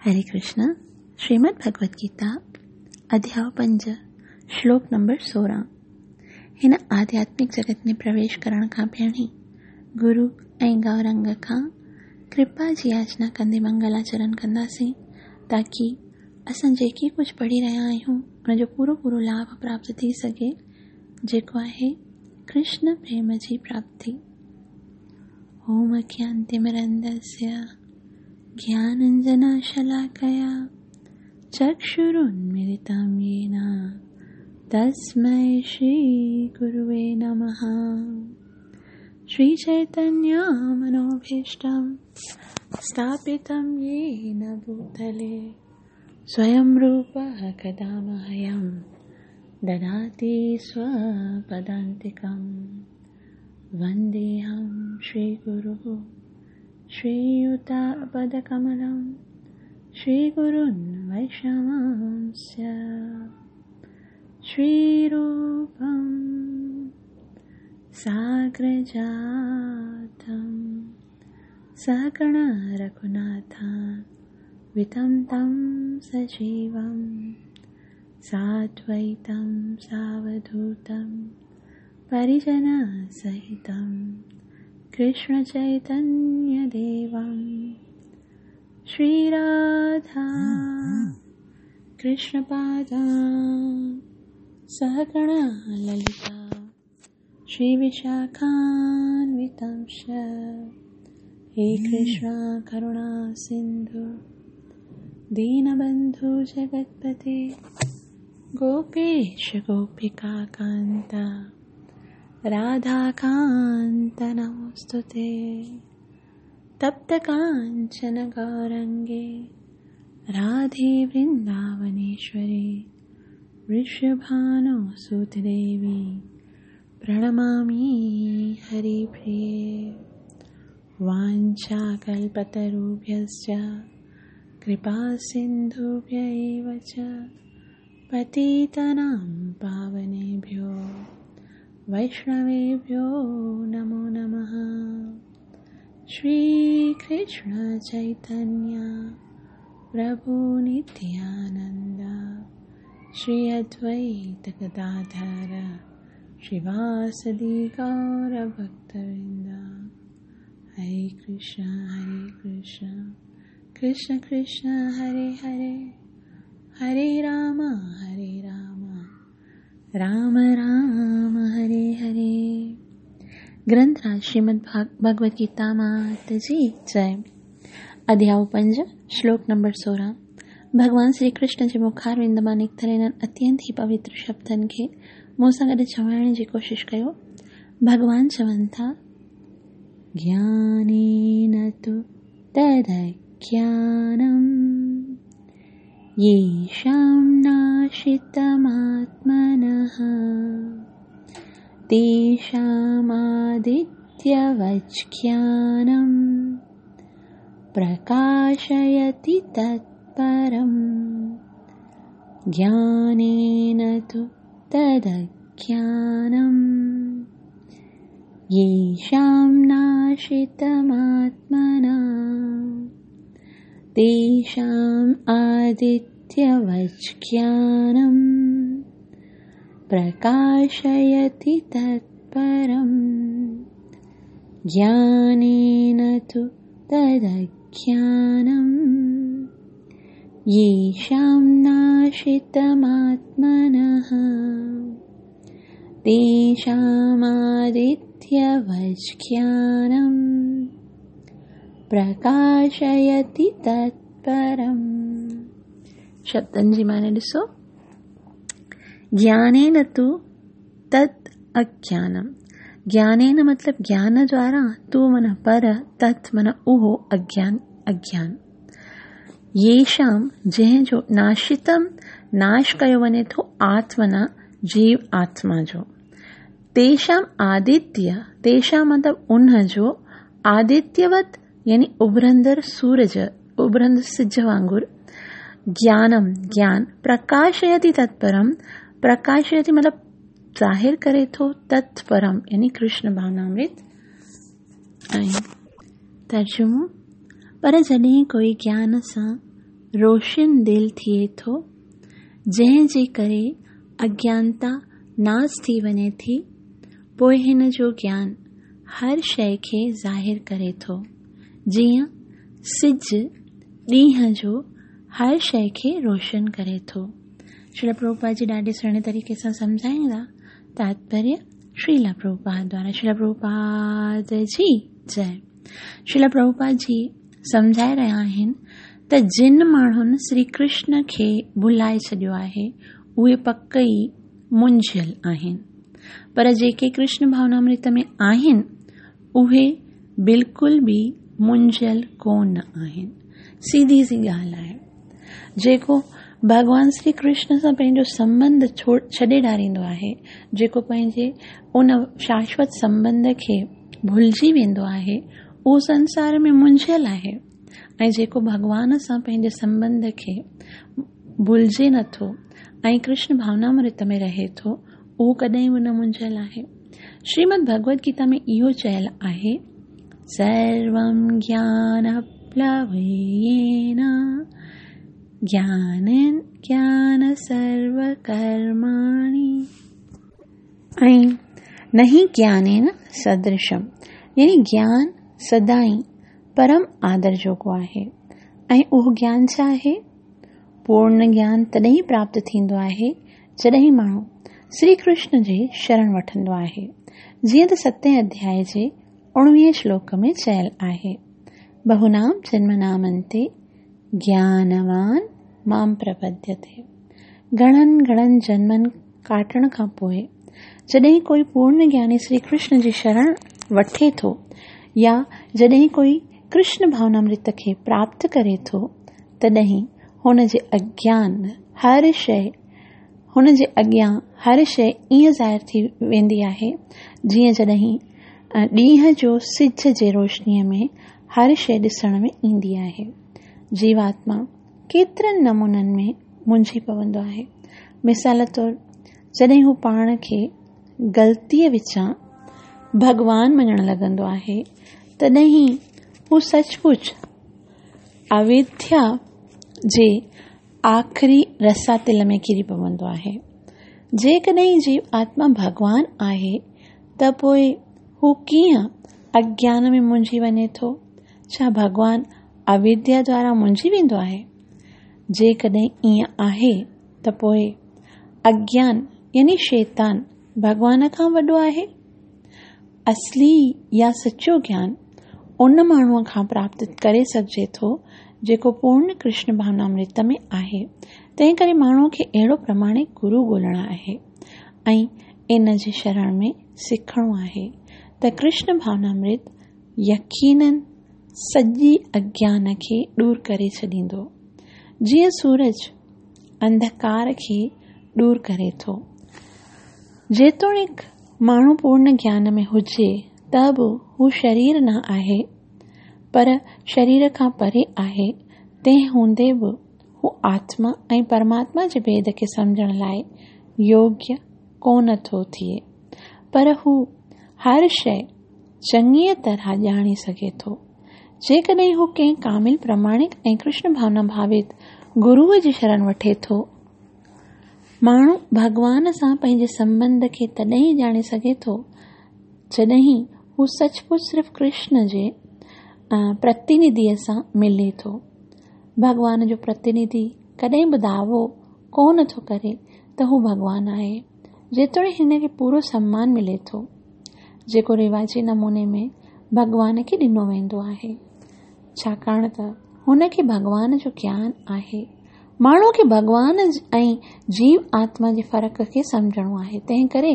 हरे कृष्ण। श्रीमद् भगवद गीता अध्याय 5 श्लोक नंबर 16। हिन आध्यात्मिक जगत में प्रवेश करण खां पहिरीं गुरु ऐं गौरंग खां कृपा जी याचना कंदे मंगलाचरण कंदासीं, ताकि असां जेके कुझु पढ़ी रहिया आहियूं उनजो पूरो पूरो लाभ प्राप्त थी सघे, जेको आहे कृष्ण प्रेम जी प्राप्ति। ओम अज्ञानतिमिरन्धस्य ज्ञानाञ्जनशलाकया चक्षुरुन्मीलितं येन तस्मै श्रीगुरुवे नमः। श्रीचैतन्यमनोभीष्टं स्थापितं येन भूतले स्वयं रूपः कदा मह्यं ददाति स्वपदान्तिकं। वन्देऽहं श्रीगुरुः श्रीयुतपदकमलं श्रीगुरुन् वैष्णवांश्च श्रीरूपं साग्रजातं सहगण रघुनाथान्वितं तं सजीवं साद्वैतं सावधूतं परिजनसहितं कृष्णचैतन्यदेवं। श्रीराधा कृष्णपादा सहगण ललिता श्रीविशाखान्वितांश्च। हे कृष्ण करुणा सिन्धु दीनबन्धु जगत्पते गोपेश गोपिकान्त राधाकान्त नमोऽस्तुते। तप्त काञ्चन गौरङ्गे राधे वृन्दावनेश्वरी वृषभानुसुते देवी प्रणमामि हरिप्रिये। वाञ्छाकल्पतरुभ्यश्च कृपासिन्धुभ्य एव च पतितानां पावनेभ्यो वैष्णवेभ्यो नमो नमः। श्रीकृष्ण चैतन्य प्रभु नित्यानंद श्री अद्वैत गदाधर श्रीवासदि गौर भक्तवृंद। हरे कृष्ण कृष्ण कृष्ण हरे हरे, हरे राम राम राम हरे हरे। ग्रंथराज श्रीमद् भगवद गीता मात जी जय। अध्याय 5 श्लोक नंबर 16। भगवान श्री कृष्ण जे मुखारविंद मां निकितल इन्हनि अत्यंत ई पवित्र शब्दनि खे मूं सां गॾु चवाइण जी कोशिशि कयो। भगवान चवनि था, ज्ञानेन तु तदज्ञानं येषां नाशितमात्मनः तेषामादित्यवज्ज्ञानं प्रकाशयति तत्परम्। ज्ञानेन तु तदज्ञानं येषां नाशितमात्मनः तेषाम् आदित्यवज्ज्ञानं प्रकाशयति तत्परम्। ज्ञानेन तु तदज्ञानं येषां नाशितमात्मनः तेषामादित्यवज्ज्ञानं प्रकाशयति तत्परम्। शब्दनि जी माने ॾिसो, ज्ञानेन तु तत् अज्ञानम। ज्ञानेन मतलब ज्ञान द्वारा, तु मन पर, तत् मन उहो अज्ञान अज्ञान। येषां जंहिं जो नाशितम नाश कयो वञे थो आत्मना जीव आत्मा जो, तेषां आदित्य, तेषां मतलब उन जो, आदित्यवत यानी उभरंदड़ सूरज, उभरंदड़ सिज वांगुर, ज्ञानम ज्ञान, प्रकाशयति तत्परम, प्रकाशयति मतलब ज़ाहिर करे थो, तत्परम यानी कृष्ण भावनामृत। ऐं तर्जुमो, पर जॾहिं कोई ज्ञान सां روشن دل ٿئي ٿو، جنهن جي ڪري اگيانتا ناس ٿي وڃي ٿي، پوء هن جو گيان هر شيء کي ظاهر ڪري ٿو، جيئن سج ڏينهن جو هر شيء کي روشن ڪري ٿو. شريلا پرڀوپاد جي ڏاڍي سهڻي طريقي سان سمجهائيندا تاتپريه شريلا پرڀوپاد دوارا شريلا پرڀوپاد جي جئي. شريلا پرڀوپاد جي سمجهائي رهيا آهن ته جن ماڻهن شري ڪرشن کي ڀلائي ڇڏيو آهي اهي پڪ ئي منجهيل آهن، پر جيڪي ڪرشن ڀاونامرت ۾ آهن اهي بلڪل به منجهيل ڪونه آهن. سيڌي سي ڳالهه آهي، جيڪو ڀڳوان شري ڪرشن سان پنهنجو سنٻنڌ ڇڏي ڏاريندو آهي، جيڪو پنهنجي ان شاشوت سنٻنڌ کي ڀلجي ويندو آهي، اهو سنسار ۾ منجهيل آهي ۽ جيڪو ڀڳوان سان پنهنجي سنٻنڌ کي ڀلجي نٿو ۽ ڪرشن ڀاونامرت ۾ رهي ٿو، اهو ڪڏهن به نه منجهيل آهي. شريمد ڀڳوت گيتا ۾ اهو چيل آهي، سروم گيان پلوين گيانين گيان سرو ڪرماڻي ۽ نهي گيانين سدرشم، يعني گيان سدائين پرم آدر جوڳو آهي. ۽ اهو گيان ڇا آهي؟ پورن گيان تڏهن ئي پراپت ٿيندو آهي جڏهن ماڻهو شري ڪرشن جي شرڻ وٺندو آهي، جيئن ته ستين اڌيائي جي اڻويهين شلوڪ ۾ چيل آهي، بهونام جنمنام انتي گيانوان مام پرپديتي. گهڻن گهڻن جنمن ڪاٽڻ کان پوء جڏهن ڪوئي پورن گياني شري ڪرشن جي شرڻ وٺي ٿو يا جڏهن ڪوئي ڪرشن ڀاونامرت کي پراپت ڪري ٿو، تڏهن هن جي اڳيان هر شيء هن جي اڳيان هر شيء ائين ظاهر ٿي ويندي آهي، جيئن جڏهن ڏينهن جو سج جي روشنيء ۾ هر شيء ڏسڻ ۾ ايندي آهي. جيواتما ڪيترن نمونن ۾ منجهي پوندو آهي. مثال طور جڏهن هو پاڻ کي غلطيء وچان ڀڳوان مڃڻ لڳندو آهي، تڏهن هو سچ پچ اويديا جي آخري رساتل ۾ ڪري پوندو آهي. جيڪڏهن جيو آتما ڀڳوان آهي ته پوء هو ڪيئن اگيان ۾ منجهي وڃي ٿو؟ ڇا ڀڳوان اويديا دوارا منجهي ويندو آهي؟ جيڪڏهن ائين آهي ته پوء اگيان يعني شيطان ڀڳوان کان وڏو آهي؟ اصلي يا سچو گيان ان ماڻهوء کان پراپت ڪري سگهجي ٿو جيڪو پورن ڪرشن ڀاونامرت ۾ آهي. تنهن ڪري ماڻهوء کي اهڙو پرماڻڪ گرو ڳولڻو آهي ۽ ان جي شرڻ ۾ سکڻو آهي ته ڪرشن ڀاونامرت يقينن سڄي اگيان کي ڏور ڪري ڇڏيندو، جيئن سورج انڌڪار کي ڏور ڪري ٿو. جيتوڻيڪ ماڻهو پورن گيان ۾ هجي ته به هو شرير نه آهي، پر شرير کان پري آهي، تنهن هوندي به هو آتما ۽ پرماتما جي ڀيد کي سمجهڻ لاء يوگيه ڪونه ٿو ٿئي، پر هو هر شيء چڱيء طرح ڄاڻي سگهي ٿو. جيڪڏهن هو ڪنهن ڪامل پرماڻڪ ۽ ڪرشن ڀاونا ڀاوت گروء جي شرڻ وٺي ٿو. ماڻهو ڀڳوان سان پنهنجي سنٻنڌ کي تڏهن ئي ڄاڻي سگهي ٿو، جڏهن هو سچ پچ صرف ڪرشن جي پرتينڌيء سان ملي ٿو. ڀڳوان جو پرتينڌي ڪڏهن به دعوو ڪونه ٿو ڪري ته هو ڀڳوان آهي، جيتوڻيڪ هن کي پورو سمان ملي ٿو، جيڪو رواجي نموني ۾ ڀڳوان کي ڏنو ويندو آهي، ڇاڪاڻ ته هن کي ڀڳوان جو گيان آهي. ماڻهوء کي ڀڳوان ۽ جيو آتما جي فرق کي سمجهڻو آهي، تنهن ڪري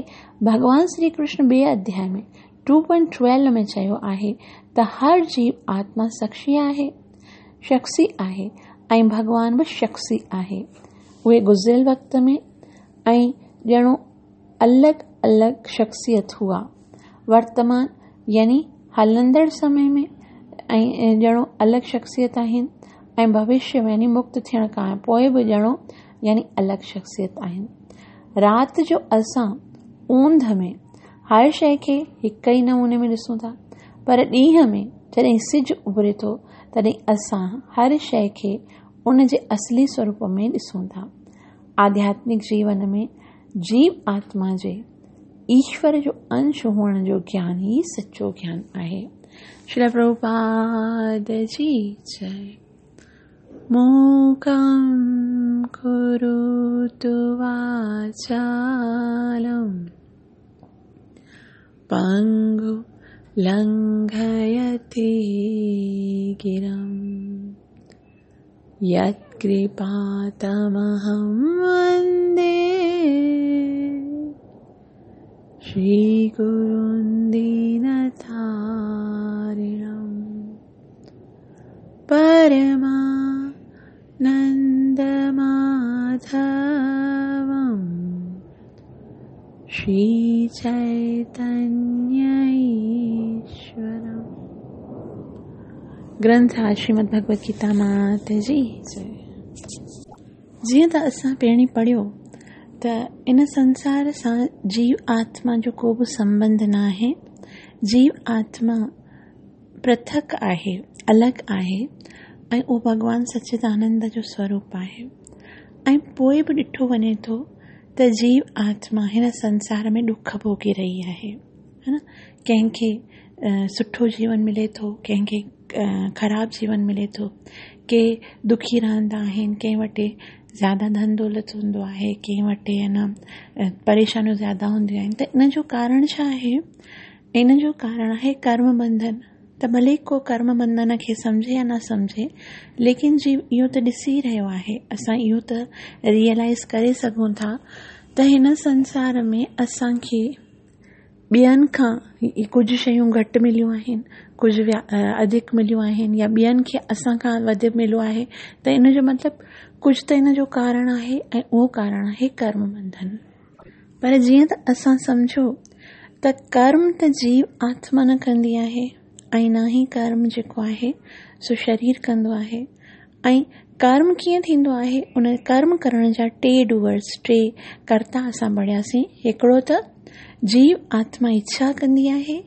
ڀڳوان شري ڪرشن ٻئي اڌياء ۾ ٽو پوائنٽ ٽويلو ۾ چيو آهي ته هر جيو آتما شخصي آهي، شخصي آهي ۽ ڀڳوان به شخصي آهي. اهي گذريل وقت ۾ ۽ ڄڻو الڳ الڳ شخصيت هئا. ورتمان يعني هلندڙ سمي ۾ ۽ ڄڻو الڳ شخصيت آهن ۽ ڀوشيه ۾ يعني مڪت ٿيڻ کان پوء به ڄڻو يعني الڳ شخصيت آهن. رات جو اسان اوندهه ۾ هر شيء کي هڪ ئي نموني ۾ ڏسون ٿا، پر ڏينهن ۾ جڏهن سج اڀري ٿو تڏهن اسان هر شيء کي ان جي اصلي سوروپ ۾ ڏسون ٿا. آڌياتمڪ جيون ۾ جيو آتما جي ايشور جو انش هئڻ جو گيان ئي سچو گيان آهي. شريل پرڀوپاد جي جئي. موڪم ڪروتو واچالم پنگو لنگهيتي گرم يتڪرپا تمهم وندي شري گرن دينتارڻم پرمانند ماڌوم شري چيتنيه ايشورم. گرنٿ آهي شريمد ڀڳوت گيتا مات جي جئي. جيئن ته اسان پهرين پڙهيو ته ان سنسار سان جيو آتما جو ڪو به سنٻنڌ ناهي. جيو آتما پرٿڪ آهي، الڳ آهي ۽ اهو ڀڳوان سچدانند جو سوروپ آهي ۽ پوء به ڏٺو وڃي ٿو ته جيو آتما هن سنسار ۾ ڏک ڀوڳي رهي آهي ها نه ڪنهن کي سٺو جيون ملي ٿو ڪنهن کي خراب جيون ملي ٿو ڪي دکي رهندا آهن ڪنهن وٽ زياده ڌن دولت هوندو آهي ڪنهن وٽ ها نه پريشانيون زياده هونديون آهن ته ان جو ڪارڻ ڇا آهي ان جو ڪارڻ آهي ڪرم بنڌن ته ڀلي ڪو ڪرم بنڌن کي سمجهي يا نه سمجهي ليڪن جيو اهو ته ڏسي رهيو آهي اسان اهو ته ريئلائز ڪري سگهون ٿا ته هن سنسار ۾ اسان کي ٻين کان ڪجهه شيون گهٽ مليون آهن ڪجهه اڌڪ مليون آهن يا ٻين کي اسان کان وڌ مليو آهي ته ان جو مطلب ڪجهه ته ان جو ڪارڻ آهي ۽ اهو ڪارڻ آهي ڪرم بنڌن. پر جيئن ته اسان سمجهيو ته ڪرم ته جيو آتما نه ڪندي آهي ۽ نه ئي ڪرم جيڪو آهي سو شرير ڪندو آهي ۽ ڪرم ڪيئن ٿيندو آهي ان ڪرم ڪرڻ جا ٽي ڊوئرس ٽي ڪرتا اسان پڙهياسين هڪڙو ته جيو آتما اڇا ڪندي آهي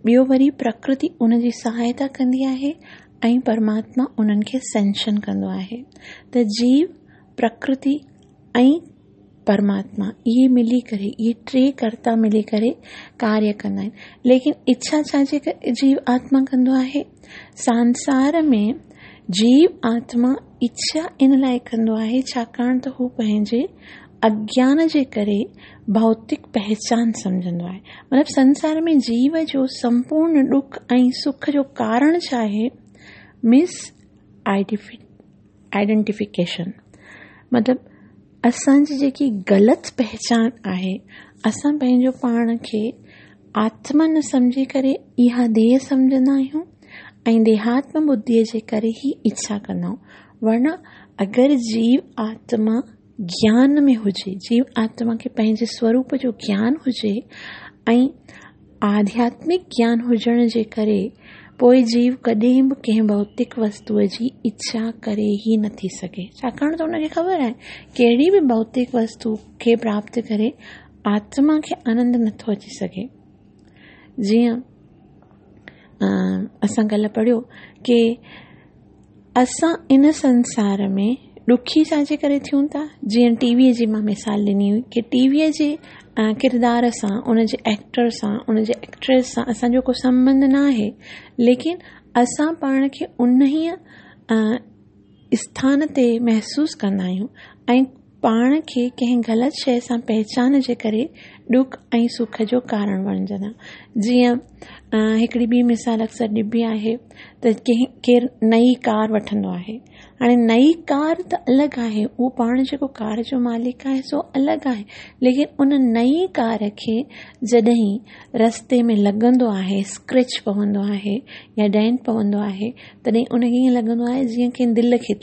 ٻيو وري پرڪرتي ان جي سهائتا ڪندي آهي ۽ پرماتما انهن کي سينشن ڪندو آهي ته جيو پرڪرتي ۽ پرماتما اهي ملي ڪري اهي ٽي ڪرتا ملي ڪري ڪاريه ڪندا آهن ليڪن اڇا ڇا جي جيو آتما ڪندو آهي سانسار ۾ جيو آتما اڇا ان لاء ڪندو آهي ڇاڪاڻ ته هو پنهنجي اگيان جي ڪري ڀوتڪ پهچان سمجهندو آهي مطلب سنسار ۾ جيو جو سمپورڻ ڏک ۽ سک جو ڪارڻ ڇا آهي مس آئيڊنٽيفڪيشن مطلب اسان جي جيڪي غلط پهچان آهي اسان پنهنجو پاڻ کي آتما نه سمجهي ڪري اها ديهه سمجهندا آهيون ۽ ديهاتم ٻڌيء جي ڪري ئي اڇا ڪندا آهيون ورنه اگر جيو آتما گيان ۾ هجي جيو آتما کي پنهنجي سوروپ جو گيان هجي ۽ آڌياتمڪ گيان هجڻ جي ڪري پوء جيو ڪڏهن به ڪنهن ڀوتڪ وستوء جي اڇا ڪري ئي نٿي سگهي، ڇاڪاڻ ته ان کي خبر آهي ڪهڙي به ڀوتڪ وستو کي پراپت ڪري آتما کي آنند نٿو اچي سگهي. جيئن اسان ڪلهه پڙهيو ڪي اسان ان سنسار ۾ ڏکي ڇا جي ڪري ٿيون ٿا؟ جيئن ٽي ويء جي مان مثال ڏني هئي ڪي ٽي ويء جي ڪردار سان ان جي ايڪٽر سان ان جي ايڪٽريس سان اسان جو ڪو سنٻنڌ نه آهي ليڪن اسان پاڻ کي انهيء اسٿان تي محسوس ڪندا آهيون ۽ پاڻ کي ڪنهن غلط شيء سان پهچان جي ڪري ڏک ۽ سک جو ڪارڻ بڻجندا جيئن هڪڙي ٻي مثال اڪثر ڏبي آهي ته ڪنهن ڪير نئين ڪار وٺندو آهي هاڻي نئين ڪار ته الڳ آهي اهو پاڻ جيڪو ڪار جو مالڪ آهي سو الڳ آهي ليڪن ان نئين ڪار کي جڏهن رستي ۾ لڳندو آهي اسڪريچ پوندو آهي يا ڊينٽ پوندو آهي تڏهن ان کي ائين لڳندو آهي جيئن ڪنهن دل کي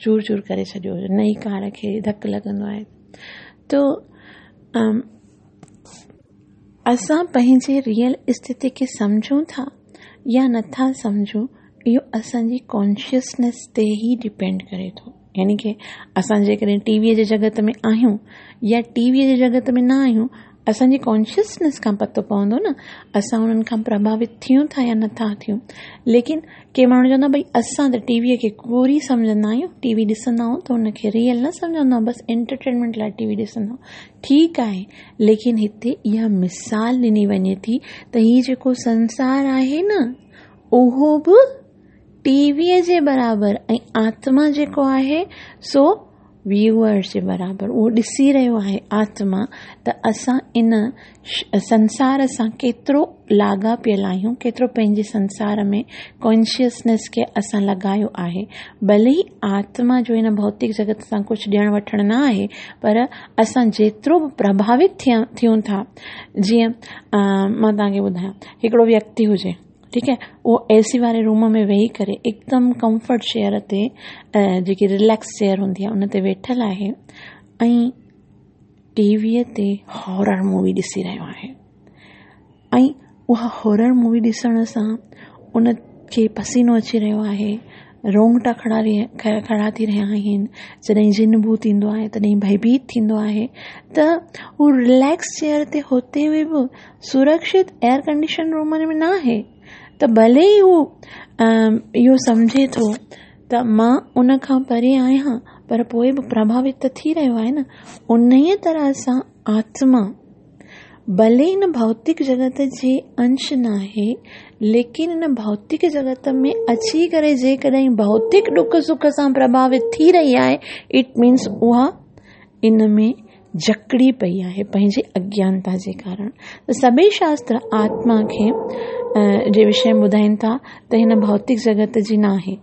چور چور ڪري ڇڏيو هجي نئين ڪار کي ڌڪ لڳندو آهي تو اسان پنهنجي ريئل اسٿتي کي سمجهون ٿا يا نٿا سمجهون اهو اسان جي ڪانشسنيس تي ئي ڊپينڊ ڪري ٿو يعني ڪي اسان جيڪڏهن ٽي ويء جي جڳت ۾ آهيون يا ٽي ويء جي جڳت ۾ نه آهيون اسان جي ڪانشسنيس کان پتو پوندو نه اسان انهن کان پرڀاوت ٿيون ٿا يا نٿا ٿيون. ليڪن ڪي ماڻهو چوندا ڀئي اسان ته ٽي ويء کي ڪوڙي سمجهندا آهيون، ٽي وي ڏسندا آهيون ته ان کي ريئل نه سمجهندا آهيون، بس انٽرٽينمينٽ لاء ٽي وي ڏسندا آهيون. ٺيڪ آهي، ليڪن هتي اها مثال ڏني وڃي ٿي ته هي جيڪو سنسار آهي نه اهو به ٽي ويء جي برابر ۽ آتما جيڪو آهي سو ويوئر جي برابر اهو ڏسي رهيو آهي آتما ته اسان ان سنسار سان ڪيترو لاڳاپيل آهيون ڪيترو پنهنجي سنسار ۾ ڪانشسنيس کي اسان لڳايو آهي ڀلي ئي آتما جو هن ڀوتڪ جڳت سان ڪجهه ڏيڻ وٺڻ نه آهي پر اسان جيترو به پرڀاوت ٿيون ٿا جيئن مان توهان کي ٻڌايان هڪڙو ويڪتي هجي ٺيڪ آهي اهو اي سي واري روم ۾ ويهي ڪري هڪدم ڪمفرٽ چيئر تي جيڪي رليڪس چيئر هوندي آهي ان تي ويٺل آهي ۽ ٽي ويء تي هارر مووي ڏسي رهيو آهي ۽ اها هارر مووي ڏسڻ سان ان کي پسينو اچي رهيو آهي رونگٽا کڙا کڙا ٿي رهيا آهن جڏهن جن ڀوت ايندو آهي تڏهن ڀئڀيت ٿيندو آهي ته هو رليڪس چيئر تي هوتي هوئي به سرڪشت ايئر ڪنڊيشن روم ۾ نه آهي ته ڀلي ئي هو اهو سمجهي ٿو ته مان ان کان پري آهيان پر پوءِ به پرڀاوت ته ٿي رهيو آهي نه انهيء طرح سان آتما ڀلي هن ڀوتڪ جڳت جي انش نه آهي ليڪن هن ڀوتڪ جڳت ۾ اچي ڪري جيڪڏهن ڀوتڪ ڏک سک سان پرڀاوت ٿي رهي آهي it means اها ان ۾ جڪڙي پئي آهي پنهنجي اگيانتا جي ڪارڻ ته سڀئي شاستر آتما کي جي وشي ۾ ٻڌائين ٿا ته هن ڀوتڪ جڳت جي نه آهي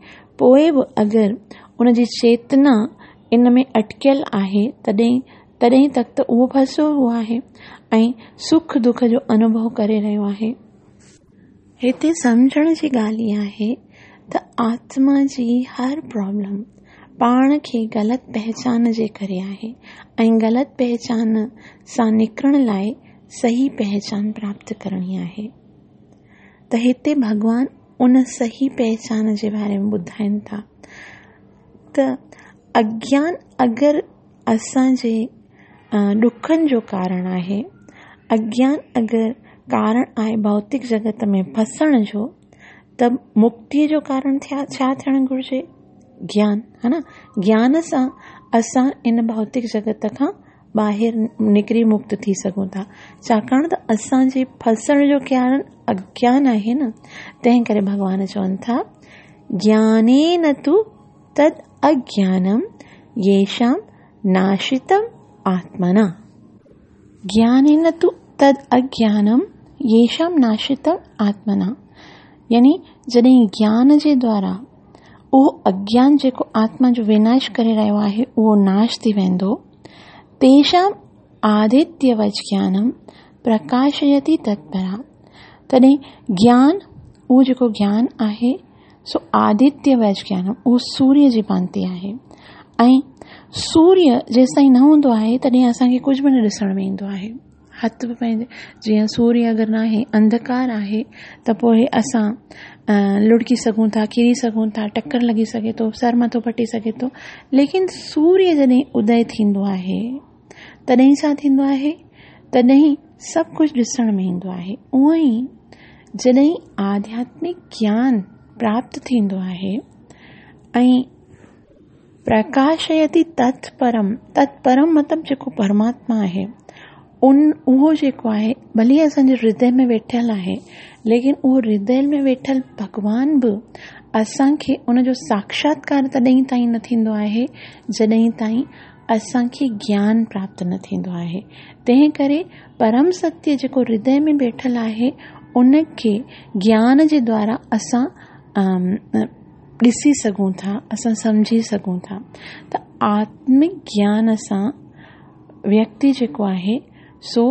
پوء به اگر ان جي چيتنا ان ۾ اٽڪيل آهي تڏهن تڏهن تڪ ته اهو ڦسيو هو آهي ۽ سک دک جو انوڀو ڪري رهيو آهي. هتي سمجهڻ جي ڳالهه اها آهي ته آتما جي هر پرابلم پاڻ کي غلط پهچان جي ڪري آهي ۽ غلط پهچان سان نڪرڻ لاء صحيح پهچان پراپت ڪرڻي آهي ته هتي ڀڳوان ان صحيح پهچان جي باري ۾ ٻڌائين ٿا ته اگيان اگر اسان جي ڏکن جو ڪارڻ آهي. اگيان اگر ڪارڻ آهي ڀوتڪ جڳت ۾ ڦسڻ جو ته مڪتيء جو ڪارڻ ڇا ٿيڻ گهرجي؟ گيان ها نه گيان سان اسان ان ڀوتڪ جڳت کان ٻاهر نڪري مڪت ٿي سگهون ٿا ڇاڪاڻ ته اسان جي ڦسڻ جو ڪارڻ اگيان آهي نه تنهن ڪري ڀڳوان چون ٿا گيانين تو تد اگيانم ييشام ناشتم آتمنا. گيانين تو تد اگيانم ييشام ناشتم آتمنا يعني جڏهن گيان جي دوارا اهو اگيان جيڪو آتما جو وناش ڪري رهيو آهي اهو ناش ٿي ويندو تيشام آدتيه وچ گيانم پرڪاشيتي تتپرا تڏهن گيان اهو جيڪو گيان آهي سو آدتيه وچ گيانم اهو سوريه جي ڀانتي آهي ۽ سوريه جيستائين نه هوندو آهي تڏهن اسان کي ڪجهه به نه ڏسڻ ۾ ايندو آهي هٿ به پنهنجي جيئن سوريه اگر نه آهي انڌڪار آهي ته پوء اسان لڙڪي سگهون ٿا ڪري سگهون ٿا ٽڪر لڳي سگهي ٿو سر مٿو ڦٽي سگهي ٿو ليڪن سوريه جڏهن ادي ٿيندو آهي تڏهن ڇا ٿيندو آهي؟ تڏهن سڀ ڪجهه ڏسڻ ۾ ايندو آهي. اونئن ئي جڏهن آڌياتمڪ گيان پراپت ٿيندو آهي ۽ پرڪاشيتي تت پرم، تت پرم مطلب جيڪو پرماتما آهي ان اهو جيڪو آهي ڀلي اسان جي هردي ۾ ويٺل آهي ليڪن اهو هردي ۾ ويٺل ڀڳوان به اسان کي ان جو ساڪشاتڪار تڏهن تائين نه ٿيندو آهي جڏهن تائين اسان کي گيان پراپت نه ٿيندو آهي. تنهن ڪري پرم ستيه جيڪو هردي ۾ ويٺل آهي ان کي گيان جي دوارا اسان ڏسي سگهون ٿا اسان سمجهي سگهون ٿا ته آتمڪ گيان سان ويڪتي جيڪو آهي سو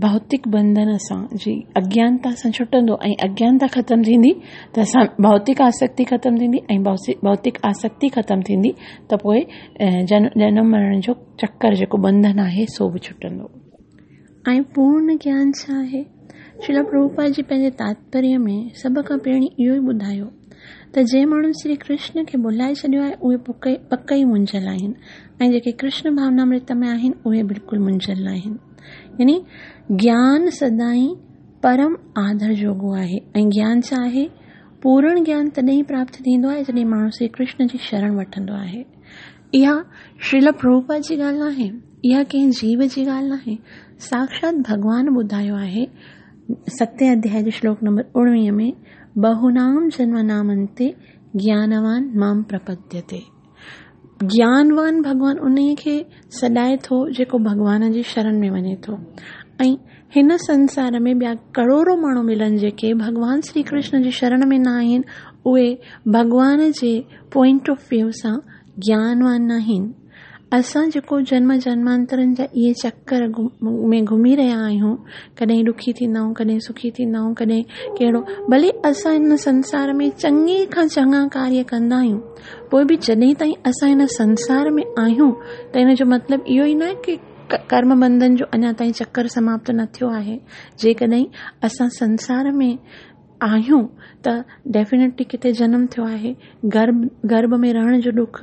ڀوتڪ بنڌن سان جي اگيانتا سان ڇٽندو ۽ اگيانتا ختم ٿيندي ته اسان ڀوتڪ آسڪتي ختم ٿيندي ۽ ڀوتڪ آسڪتي ختم ٿيندي ته پوء جنم مرڻ جو چڪر جيڪو بنڌن آهي سو به ڇٽندو. ۽ پورن گيان ڇا آهي؟ شريلا پرڀوپاد جي پنهنجي تاتپريه ۾ سڀ کان پهرين اهو ئي ٻڌايو. ته جنهن ماڻهن شري ڪرشن کي ڀلائي ڇڏيو آهي اهي پڪ ئي منجهيل آهن ۽ جيڪي ڪرشن ڀاونامرت ۾ آهن اهي بلڪل منجهيل ناهن. يعني گيان سدائين پرم آدر جوڳو آهي ۽ گيان ڇا آهي؟ پورڻ گيان تڏهن ئي پراپت ٿيندو آهي جڏهن ماڻهو شري ڪرشن جي شرڻ وٺندو آهي. اها شريل پرڀوپاد جي ڳالهه ناهي، اها ڪنهن جيو جي ڳالهه ناهي، ساکشات ڀڳوان ٻڌايو آهي ستين اڌيائي جي شلوڪ نمبر 19 ۾ بهونام جنمنام انتي گيانوان مام پرپديتي. گيانوان ڀڳوان انهي کي سڏائي ٿو جيڪو ڀڳوان جي شرڻ ۾ وڃي ٿو ۽ هن سنسار ۾ ٻيا ڪروڙو ماڻهو ملن جيڪي ڀڳوان شري ڪرشن جي شرڻ ۾ نه آهن اهي ڀڳوان جي پوائنٽ آف ويو سان گيانوان ناهن. اسان جيڪو جنم جنمانترن جا اهي چڪر ۾ گهمي رهيا آهيون، ڪڏهن ڏکي ٿيندا آهيون، ڪڏهن سکي ٿيندا آهيون، ڪڏهن ڪهڙو، ڀلي اسان هن سنسار ۾ چڱي کان چڱا ڪاريه ڪندا آهيون، پوء به جڏهن تائين اسان هن سنسار ۾ آهيون ته ان جو مطلب اهو ئي ناهي ڪي ڪرم بنڌن جو اڃا تائين چڪر سماپت نه ٿيو آهي. جيڪڏهن اسان سنسار ۾ آهيون ته ڊيفينيٽلي ڪٿي جنم ٿيو آهي، گرڀ گرڀ ۾ رهڻ جو ڏک،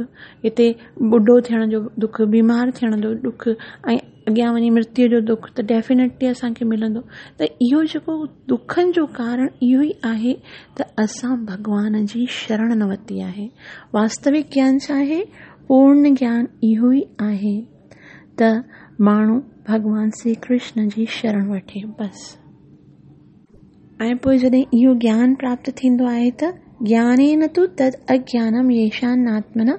هتي ٻڍو ٿيڻ جو ڏک، بيمار ٿيڻ جو ڏک ۽ اڳيان وڃي مرتيو جو ڏک ته ڊيفينيٽلي اسان کي ملندو ته اهو جيڪو ڏکن جو ڪارڻ اهو ئي آهي ته اسان ڀڳوان جي شرڻ نه ورتي آهي. واستوڪ گيان ڇا آهي؟ پورن گيان اهو ئي آهي ته ماڻهو ڀڳوان شري ڪرشن جي شرڻ وٺي بس. ۽ پوء جڏهن اهو گيان پراپت ٿيندو آهي ته گيانين تو تد اگيانم ييشان ناتمنا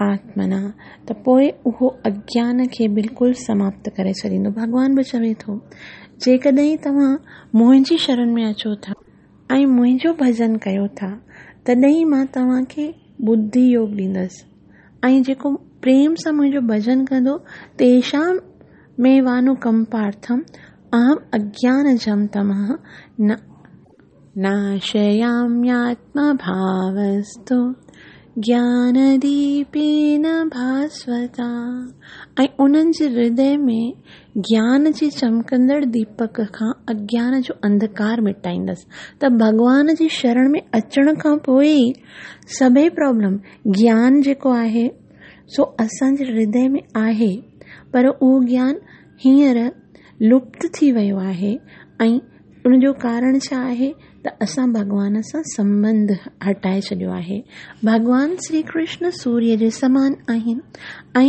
آتمنا ته پوء اهو اگيان کي بلڪل سماپت ڪري ڇڏيندو. ڀڳوان به چوي ٿو جيڪڏهن توهان منهنجي شرڻ ۾ اچو ٿا ۽ منهنجو ڀڄن ڪيو ٿا تڏهن مان توهان کي ٻڌي يوگ ڏيندس ۽ جيڪو پريم سان منهنجو ڀڄن ڪندو تيشام ۾ وانوڪمپارٿم اهم اگيان جم تمه نه ناشيامياتما ڀاوستو گيان ديپين ڀاسوتا ۽ انهن جي هردي ۾ گيان جي چمڪندڙ ديپڪ کان اگيان جو انڌڪار مٽائيندس ته ڀڳوان جي شرڻ ۾ اچڻ کان پوء ئي سڀئي پرابلم گيان جيڪو آهي سو اسان جي هردي ۾ آهي پر اهو گيان هينئر لپت ٿي ويو آهي ۽ ان جو ڪارڻ ڇا آهي ته اسان ڀڳوان سان سنٻنڌ هٽائي ڇڏيو آهي. ڀڳوان شري ڪرشن سوريه جي سمان آهن ۽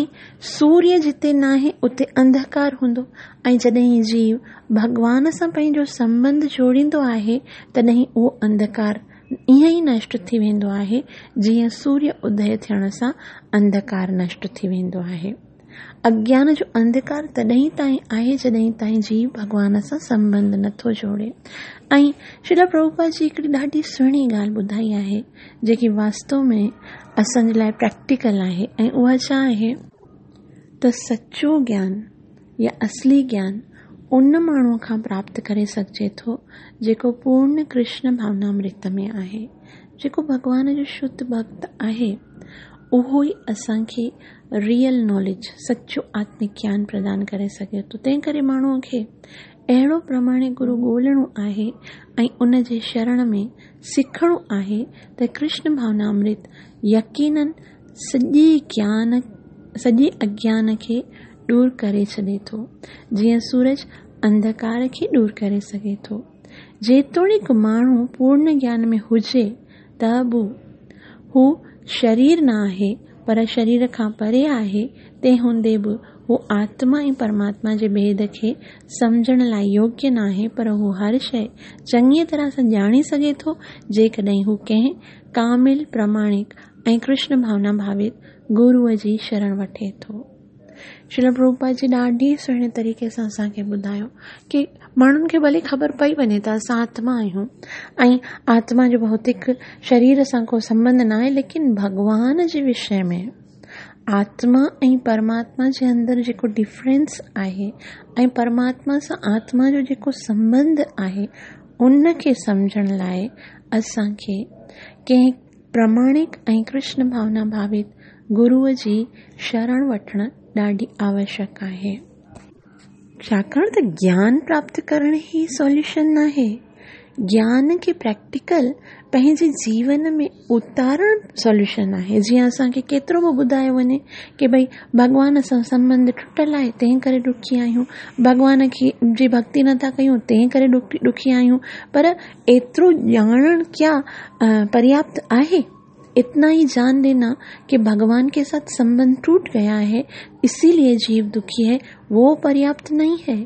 سوريه جتي ناهي اتي انڌڪار هوندو ۽ جڏهن جيو ڀڳوان سان پنهنجو سنٻنڌ جوڙيندو آهي تڏهن اهو انڌڪار ائين ئي نشٽ ٿي ويندو آهي جيئن سوريه ادي ٿيڻ سان انڌڪار نشٽ ٿي ويندو آهي. اگيان جو انڌڪار تڏهن تائين آهي جڏهن تائين جيو ڀڳوان سان سنٻنڌ نٿو جوڙي ۽ شريلا پرڀوپاد جي هڪڙي ڏاڍي سهڻي ڳالهه ٻڌائي آهي جيڪي واستو ۾ اسان جي لاء پريڪٽيڪل آهي ۽ اها ڇا آهي ته سچو گيان يا اصلي گيان ان ماڻهوء کان پراپت ڪري سگهجي ٿو جيڪو پورن ڪرشن ڀاونامرت ۾ آهي جيڪو ڀڳوان جو شڌ ڀڳت آهي اهو ئي اسان کي ريئل ناليج، سچو آتمڪ گيان پردان ڪري سگهي ٿو. تنهن ڪري ماڻهوء کي اهڙو پرماڻڪ گرو ڳولڻو آهي ۽ ان جي شرڻ ۾ سکڻو آهي ته ڪرشن ڀاونامرت يقينن سڄي گيان سڄي اگيان کي ڏور ڪري ڇڏي ٿو، جيئن سورج انڌڪار کي ڏور ڪري سگهي ٿو. جيتوڻيڪ ماڻهو پورن گيان ۾ هجي ته به هو شرير نه آهي، پر شرير کان پري آهي، تنهن هوندي به هو آتما ۽ پرماتما جي ڀيد کي سمجهڻ لاء يوگيه ناهي، پر هو هر شيء چڱيء طرح سان ڄاڻي سگهي ٿو، جيڪڏهن هو ڪنهن ڪامل، پرماڻڪ ۽ ڪرشن ڀاونا ڀاوت گروء جي شرڻ وٺي ٿو. شريل پرڀوپاد جي ڏاڍي سهڻي طريقي سان اسان کي ٻڌايو ڪي ماڻهن کي ڀلي خبر پئي وڃي ته اسان آتما آهيون ۽ آتما جو ڀوتڪ شرير سان ڪو سنٻنڌ نه آهي ليڪن ڀڳوان جي وشي ۾ آتما ۽ پرماتما جي اندر جيڪو ڊفرنس آهي ۽ پرماتما سان آتما جو جيڪو سنٻنڌ آهي ان کي سمجهڻ لاء اسان کي ڪنهن پراماڻڪ ۽ ڪرشن ڀاونا ڀاوت گروء جي شرڻ وٺڻ ڏاڍي آوشڪ آهي. ڇاڪاڻ ته گيان پراپت ڪرڻ ئي سوليوشن ناهي. گيان کي پريڪٽيڪل پنهنجي جيون ۾ اتارڻ سوليوشن آهي. جيئن اسان کي ڪيترو به ٻڌايو وڃي ڪي ڀئي ڀڳوان سان سنٻنڌ ٽٽل آهي تنهن ڪري ڏکي آهيون، ڀڳوان کي جي ڀڳتي نٿا ڪيون تنهن ڪري ڏکي آهيون، پر ايترو ڄاڻڻ ڪيا پرياپت آهي؟ اتنا ئي جان لينا ڪي ڀڳوان ڪي ساٿ سنٻنڌ ٽوٽ گيا هي اسي ليي جيو دکي هي وو پرياپت نهين هي.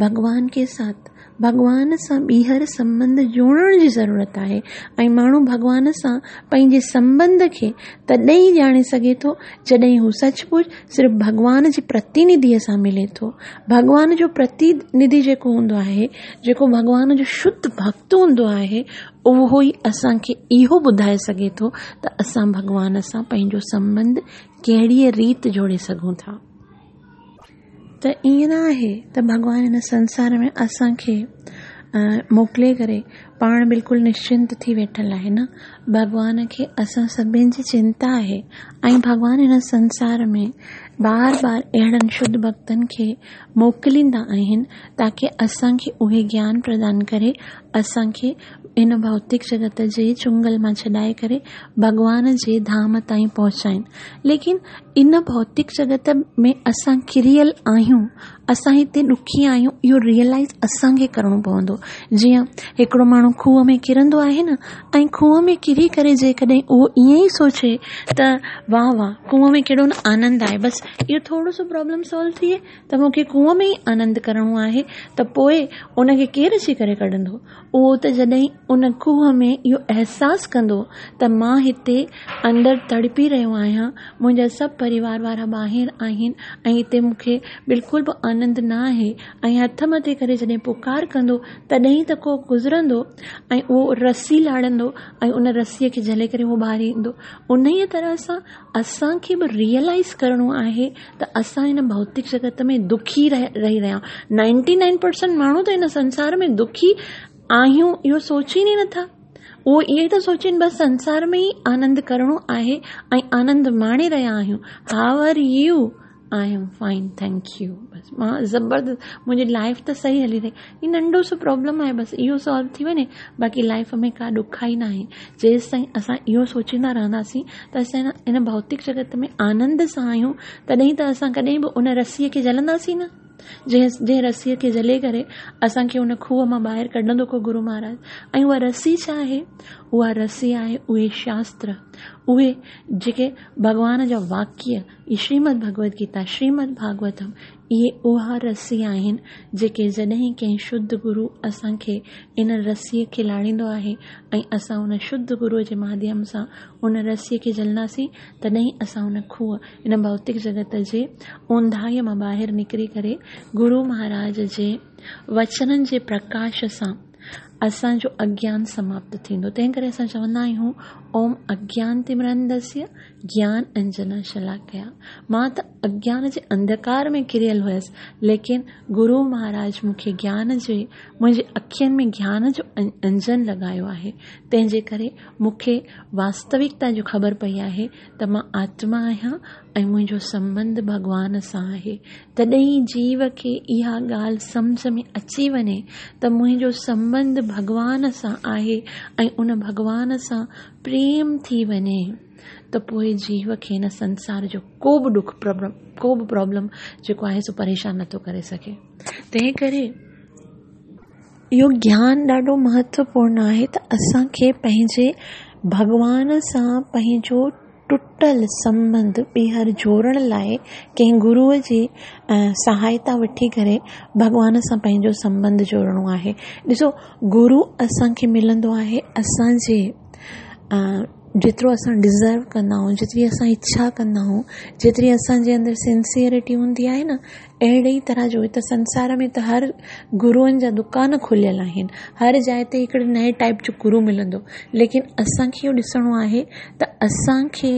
ڀڳوان ڪي ساٿ ڀڳوان سان ٻيهر سنٻنڌ جوڙڻ جي ضرورت آهي ۽ ماڻهو ڀڳوان سان پنهنجي سنٻنڌ کي تڏهن ئي ڄاڻي سگهي ٿو جڏهن هو سچ پچ صرف ڀڳوان جي پرتينڌيء سان ملي ٿو. ڀڳوان جو پرتينڌي جيڪو هوندو آهي، جيڪو ڀڳوان جو شڌ ڀڳت هوندو آهي، اهو ئي اسان کي اهو ٻڌائي سگهي ٿو ته اسان ڀڳوان سان پنهنجو سنٻنڌ ڪهڙيء ريت جوڙي سگهون ٿا. ته ائين نه آهي ته ڀڳوان هن سنسار ۾ اسان کي موڪلي ڪري پاڻ بلڪل نشچنت ٿي ويٺل آهي نه ڀڳوان کي اسان سڀني جي چنتا آهي ۽ ڀڳوان هن سنسار ۾ بار بار اهڙن شڌ ڀڳتن کي موڪليندا آهن تاڪه اسان کي اهي گيان پردان ڪري اسان کي هن ڀوتڪ جڳت جي چنگل مان ڇڏائي ڪري ڀڳوان جي ڌام تائين پهچائين ليڪن ان ڀوتڪ جڳت ۾ اسان ڪريل آهيون، اسان هتي ڏکي آهيون اهو ريئلائيز اسان کي ڪرڻو پوندو. جيئن هڪڙو ماڻهو کوهه ۾ ڪرندو آهي نه ۽ کوهه ۾ ڪري ڪري جيڪڏهن اهو ائين ئي سوچي ته واهه واهه کوهه ۾ ڪهڙو نه آنند آهي بس اهو ٿورو سو پرابلم سالو ٿئي ته مون کي کوهه ۾ ئي آنند ڪرڻو آهي ته پوء ان کي ڪير اچي ڪري ڪڍندو؟ اهو ته جڏهن ان کوهه ۾ اهو احساس ڪندو ته مان هتي اندر تڙپي رهيو آهيان، منهنجا سڀ پريوار وارا ٻاهر آهن ۽ هتي مون کي بلڪل به آنند نه آهي ۽ هٿ مٿي ڪري جڏهن پڪار ڪندو تڏهن ته ڪو گذرندو ۽ اهو رسي لاڙندو ۽ ان رسيء کي جهلي ڪري اهو ٻاهر ايندو. انهيء طرح سان اسان کي به ريئلائيز ڪرڻو آهي ته اسان هن ڀوتڪ جڳت ۾ دکي رهي رهيا آهيون. نائنٽي نائن پرسنٽ ماڻهو ته هن سنسار ۾ دکي آهيون اهو سوچين ئي نٿا. اهو ائين ئي ٿا سوچين بس سنسار ۾ ئي آنند ڪرڻو آهي ۽ آنند ماڻي رهيا آهيون. How are you? I am fine thank you. بس مان زبردست منهنجي لائف ته صحيح هلي رهي. هي ننڍو سو پرابلم آهي بس اهو سالو ٿي وڃي باقي لائف ۾ ڪا ڏکائي ناهي. جيستائين اسان اهو سوچيندا رهنداسين ته اسان هن ڀوتڪ جڳت ۾ آنند سان آهيون تڏهن ته اسان ڪڏهن به ان رسيء کي جهلنداسين نه جنهن رسيء کي جهلي ڪري اسان کي ان کوهه مان ٻاهر ڪڍندو ڪو گرو مهاراج. ۽ اها رسي ڇا آهي؟ اها رسي آهي اهي شاستر، اهي جيڪي ڀڳوان جا واڪيه، اهي شريمد ڀڳوت گيتا، شريمد ڀاڳوتم، اهي اها رسي آهن جيڪي جڏهن ڪنهن شڌ گرو اسان کي ان رسيء کي لاڙيندو آهي ۽ اسان ان شڌ گروء جي ماڌيم سان ان رسيء کي جهلنداسين تڏهن اسان ان کوهه، ان ڀوتڪ جڳت جي اونداهيء مان ٻاهر نڪري ڪري گرو مهاراج جي وچنن جي پرڪاش سان اسان جو اگيان سماپت ٿيندو. تنهن ڪري اسان چوندا آهيون اوم اگيان تمرانڌسيه گيان انجنا شلاڪيا. مان ته اگيان جي انڌڪار ۾ ڪريل هيس ليڪن گرو مهاراج مون کي گيان جي منهنجي اکين ۾ گيان جو انجن لڳايو آهي تنهن جي ڪري مون کي واستوڪتا جو خبر پئي آهي ته مان آتما آهيان ۽ منهنجو سنٻنڌ ڀڳوان سان آهي. تڏهن جيو کي اها ڳالهه سمجهه ۾ اچي وڃي ته منهنجو سنٻنڌ ڀڳوان سان آهي ۽ ان ڀڳوان سان پريم ٿي وڃي ته پوء جيو کي هن سنسار جو ڪو به ڏک ڪو به پرابلم جيڪو آهي سو پريشان نٿو ڪري سگهي. تنهن ڪري اهو گيان ڏاڍو مهتوپورڻ آهي ته اسان کي پنهنجي ڀڳوان سان پنهنجو ٽٽل سنٻنڌ ٻيهر جوڙڻ لاء ڪنهن گروء جي سهائتا وٺي ڪري ڀڳوان سان پنهنجو سنٻنڌ جوڙڻو آهي. ڏسو گرو اسان کي ملندو آهي اسان جي جيترو اسان ڊزرو ڪندا آهيون جيتري اسان اڇا ڪندا آهيون جيتري اسان جي اندر سنسيئرٽي هوندي آهي نه اهڙي ئي طرح جو هت سنسار ۾ ته هر گروئن جا دڪان کليل آهن هر جاء تي هڪڙي نئين ٽائپ جو گرو ملندو ليڪن اسان کي اهو ڏسڻو آهي ته اسان کي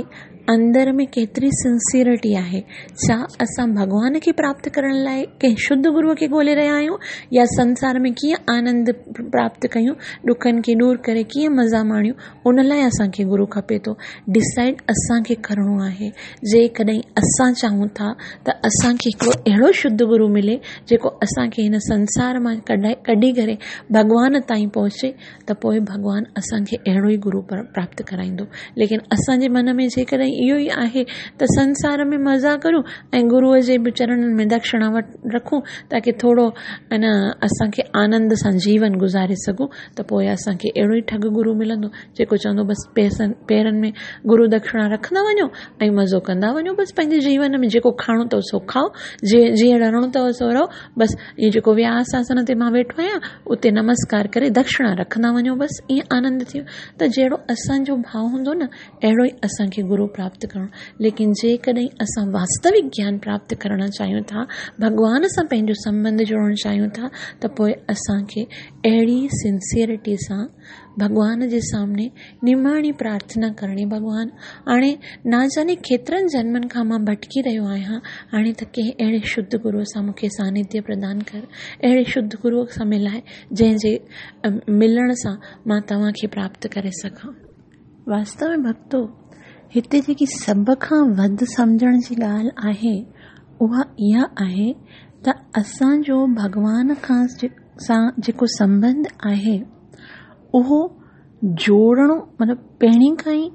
اندر ۾ ڪيتري سنسيئرٽي آهي. ڇا اسان ڀڳوان کي پراپت ڪرڻ لاء ڪنهن شڌ گروء کي ڳولي رهيا آهيون يا سنسار ۾ ڪيئن آنند پراپت ڪيون، ڏکن کي ڏور ڪري ڪيئن مزا ماڻيون، ان لاء اسان کي گرو کپي ٿو. ڊسائيڊ اسان کي ڪرڻو آهي. جيڪڏهن اسان چاهيون ٿا ته اسان کي هڪڙو اهڙو شڌ گرو ملي جيڪو اسان کي هن سنسار مان ڪڍي ڪري ڀڳوان تائين پهچي ته پوء ڀڳوان اسان کي اهڙو ئي گرو پراپت ڪرائيندو. ليڪن اسان جي من ۾ جيڪڏهن اهو ئي آهي ته سنسار ۾ مزا ڪريون ۽ گروء جي به چرڻن ۾ دڪشڻا رکون تاڪه ٿورو ان اسان کي آنند سان جيون گذاري سگهون ته پوء اسان کي اهڙو ئي ٺڳ گرو ملندو جيڪو چوندو بس پئسن پيرن ۾ گرو دڪشڻا رکندا وڃو ۽ مزو ڪندا وڃو بس پنهنجي جيون ۾ جيڪو کائڻو اٿو سو کائو جيئن رهڻو اٿو سو رهو بس هي جيڪو وياس آسن تي مان ويٺو آهيان اتي نمسڪار ڪري دڪشڻا رکندا وڃو بس ائين آنند ٿي ته جهڙو اسان جو ڀاو هوندو نه اهڙو ئي اسان کي گرو پراپت ڪرڻو ليڪن جيڪڏهن اسان واستوڪ گيان پراپت ڪرڻ چاهيون ٿا ڀڳوان سان پنهنجو سنٻنڌ جوڙڻ چاهيون ٿا ته پوء اسان کي اهڙي سنسيئرٽي سان ڀڳوان جي سامني نماڻي پرارٿنا ڪرڻي ڀڳوان هاڻي ناجاني ڪيترن جنمن کان مان ڀٽڪي رهيو آهيان هاڻي ته ڪنهن اهڙي شڌ گروء سان مون کي سانڌيه پردان ڪر اهڙي شڌ گروء سان ملائي جنهن جي ملڻ سان مان توهان کي پراپت ڪري سگهان. واستو ۾ ڀڳتو هتي جيڪي سڀ کان وڌ سمجهڻ جي ڳالهه آهي اها اها آهي ته اسان جو ڀڳوان کان سان جيڪو سنٻنڌ آهي اهو جوڙڻو مطلب پهرين کان ئي